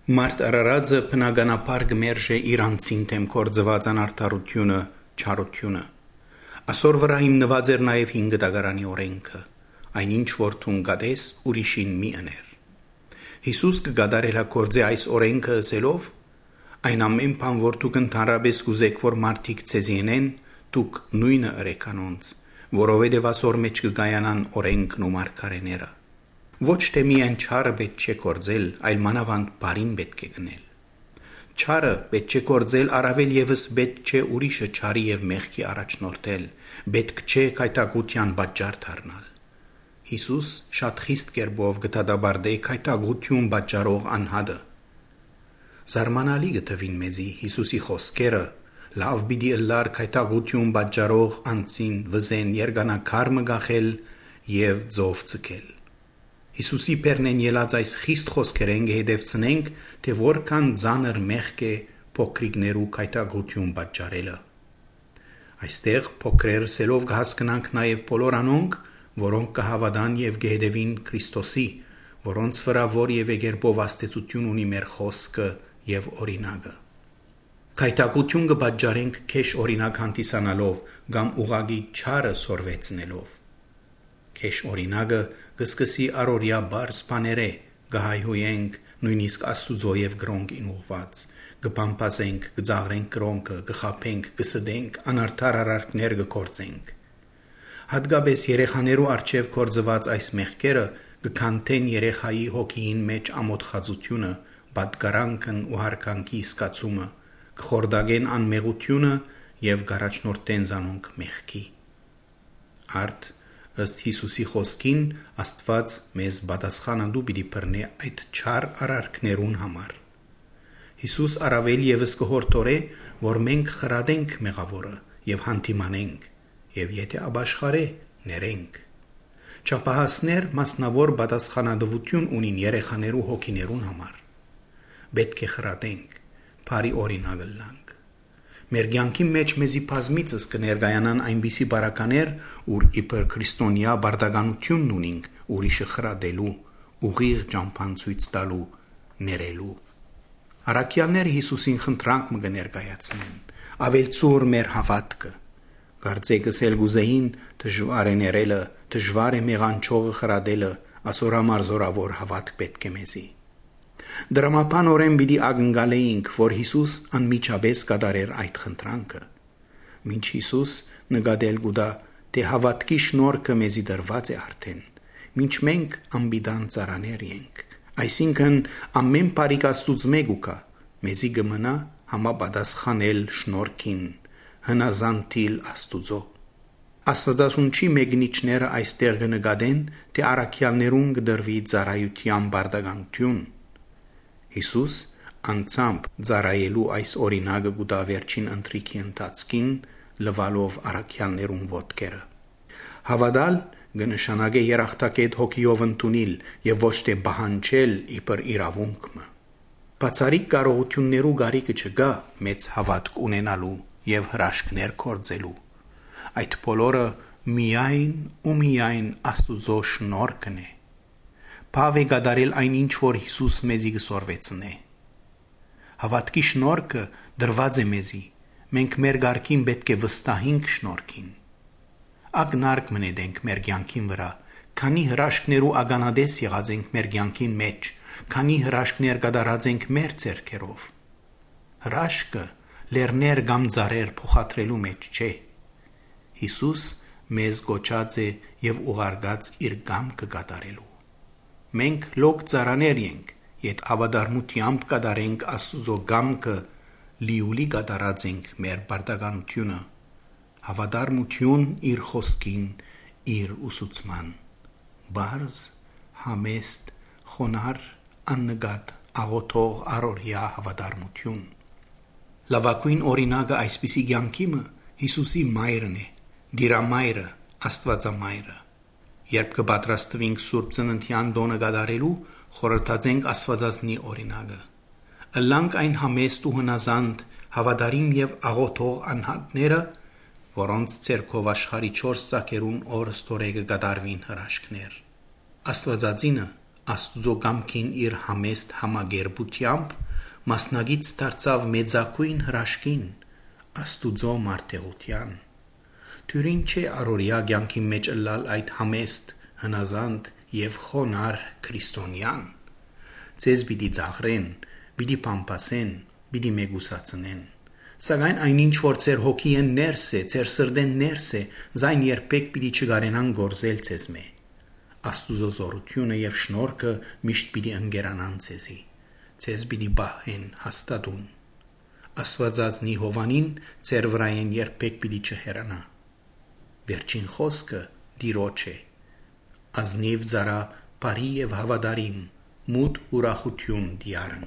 Մարդ արարածը բնականաբար գմերժե իր անձին դեմ կործված անարդարությունը, չարությունը։ Ասոր վրա հիմնված էր նաև 5 դագարանի օրենքը, այնինչ որ թուն գադես ուրիշին մի ըներ։ Հիսուս կգադարելա կործե այս օրենքը ասելով. այն ամեն բան, որ դուք ընդհանրապես կուզեք, որ մարդիկ ցեզի ընեն, դուք նույնը ըրեք անոնց, որովհետև ասոր մեջ կգայանան օրենքն ու մարգարեները։ Ոչ թե միայն չարը պետք չէ կործել, այլ մանավանդ բարին պետք է գնել։ Չարը պետք չէ կործել, առավել ևս պետք չէ ուրիշը չարի եւ մեղքի առաջնորդել, պետք չէ քայթակության պատճառ դառնալ։ Հիսուս շատ խիստ կերպով գտադաբարդե քայթակություն պատճառող անհատը։ Զարմանալի գտվին մեզի Հիսուսի խոսքերը, լավ պիտի ըլլար քայթակություն պատճառող անձին վզեն երգանակար մգախել եւ ձով ցկել։ Հիսուսի պերնեն ելած այս խիստ խոսքերեն գեհդևցնենք, թե որքան ծանր մեղք է փոքրիկներու քայթակություն պատճառելը։ Այստեղ փոքրերսելով կհասկանանք նաև բոլոր անոնք, որոնք կհավատան եւ գեհդևին Քրիստոսի, որոնց վրա որևէ կերպով աստեցություն ունի մեր խոսքը եւ օրինակը։ Քայթակություն կպատճառենք քեշ օրինակ հանդիսանալով կամ ուղագի չարը սորվեցնելով։ Քեշ օրինակը կսկսի առօրյա բարձ բաները, կհայհոյենք նույնիսկ Աստուծո եւ գրոնքին ուղված, կբամբասենք, կձաղրենք գրոնքը, կխափենք, կսդենք, անարդար արարքներ կգործենք։ Հատկապես երեխաներու արչեւ կործված այս մեղքերը կքանթեն երեխայի հոգին մեջ ամոթխածությունը, պատկարանքն ու հարկանքի սկացումը, կխորդագեն անմեղությունը եւ գարաչնորտեն զանոնք մեղքի։ Արդ ըստ Հիսուսի խոսքին Աստված մեզ պատասխանատու պիտի բռնի այդ չար արարքներուն համար։ Հիսուս առավել ևս կհորդորե, որ մենք խրադենք մեղավորը եւ հանդիմանենք, եւ եթե ապաշխարե, ներենք։ Չափահասներ մասնավոր պատասխանատվություն ունին երեխաներու հոգիներուն համար։ Պետք է խրադենք, բարի օրինակ լանք։ Մեր կյանքի մեջ մեզի բազմիցս կներկայանան այնպիսի բարականեր, ուր իբր քրիստոնյա բարդականությունն ունինք ուրիշը խրադելու, ուղիղ ճամփան ցույց տալու, ներելու։ Առաքյալները Հիսուսին խնդրանք մը կներկայացնեն, ավելցուր մեր հավատքը։ Կարծեքս էլ գուզեին դժվար է ներելը, դժվար է մեղանչողը խրադելը, ասորամար զորավոր հավատք պետք է մեզի։ Դրամապանորեն պիտի ակնկալեինք, որ Հիսուս անմիջապես կատարեր այդ խնդրանքը։ Մինչ Հիսուս նկատել գուտա, թե հավատքի շնորհքը մեզի դրված է արդեն, մինչ մենք անբիդան ծառաներ ենք, այսինքն ամեն բարիք Աստուծո կա, մեզի կմնա համապատասխանել շնորհքին, հնազանդիլ Աստուծո։ Աստվածաշունչի մեկնիչները այստեղ կնկատեն, թե առաքյալներուն կդրվի ծառայության բարդականություն։ Հիսուս անցամբ ծառայելու այս օրինակը գուտա վերջին ընթրիքի ընթացքին լվալով առաքյալներուն ոտքերը։ Հավատալ կնշանակե երախտակետ հոգիով ընդունել եւ ոչ թե բահանջել իբր իրավունքը։ Բացառիկ կարողություններու գարիկը չկա մեծ հավատք ունենալու եւ հրաշքներ կործելու։ Այդ բոլորը միայն ու միայն Աստուծո շնորհքն է։ Բավ է կատարել այնինչ որ Հիսուս մեզի կսորվեցնե։ Հավատքի շնորհքը դրված է մեզի, մենք մեր գարքին պետք է վստահենք շնորհքին։ Ակնարկ մնենք մեր կյանքին վրա, քանի հրաշքներու ականադես եղած ենք մեր կյանքին մեջ, քանի հրաշքներ կատարած ենք մեր ձեռքերով։ Հրաշքը լեռներ կամ ծառեր փոխադրելու մեջ չէ։ Հիսուս մեզ գոչած է եւ ուղարկած իր կամքը կատարելու։ Մենք լոկ ծառաներ ենք, եթե ավադարմությամբ կատարենք Աստուծո կամքը, լիուլի կատարած ենք մեր բարդականությունը, հավատարմություն իր խոսքին, իր ուսուցման, բարձ, համեստ, խոնար, աննկատ, աղոթող առօրյա հավատարմություն։ Լավագույն օրինակը այսպիսի կյանքի Հիսուսի մայրն է, դիրամայրը, Աստվածամայրը։ Երբ կպատրաստվենք Սուրբ Ծննդյան տոնը կատարելու, խորհրդածենք Աստվածածնի օրինակը։ Ըլլանք այն համեստ ու հնազանդ, հավատարիմ եւ աղոթող անհատները, որոնց ցերկով աշխարի 4 ծակերուն օրստորեգը կատարվին հրաշքներ։ Աստվածածինը Աստուծո կամքին իր համեստ համագերբությամբ մասնագից դարձավ մեծակույն հրաշքին, Աստուծո մարդեղության։ Թյուրին չէ առօրյա կյանքի մեջ ըլլալ այդ համեստ, հնազանդ եւ խոնար քրիստոնյան։ Ձեզ պիտի ծաղրեն, պիտի պամպասեն, պիտի մեգուսացնեն։ Սակայն այնինչ որ ձեր հոգիեն ներս է, ձեր սրտեն ներս է, զայն երբեք պիտի չգարենան գործել ձեզմե։ Աստուծո զորությունը եւ շնորհքը միշտ պիտի ընկերանան ձեզի։ Ձեզ պիտի բահեն հաստատուն։ Աստվածածնի հովանին ձեր վրայեն երբեք պիտի չհեռանա։ Վերջին խոսքը Տիրոջ է։ Ազնիվ զարա բարի եւ հավատարիմ, մութ ուրախություն դիարն։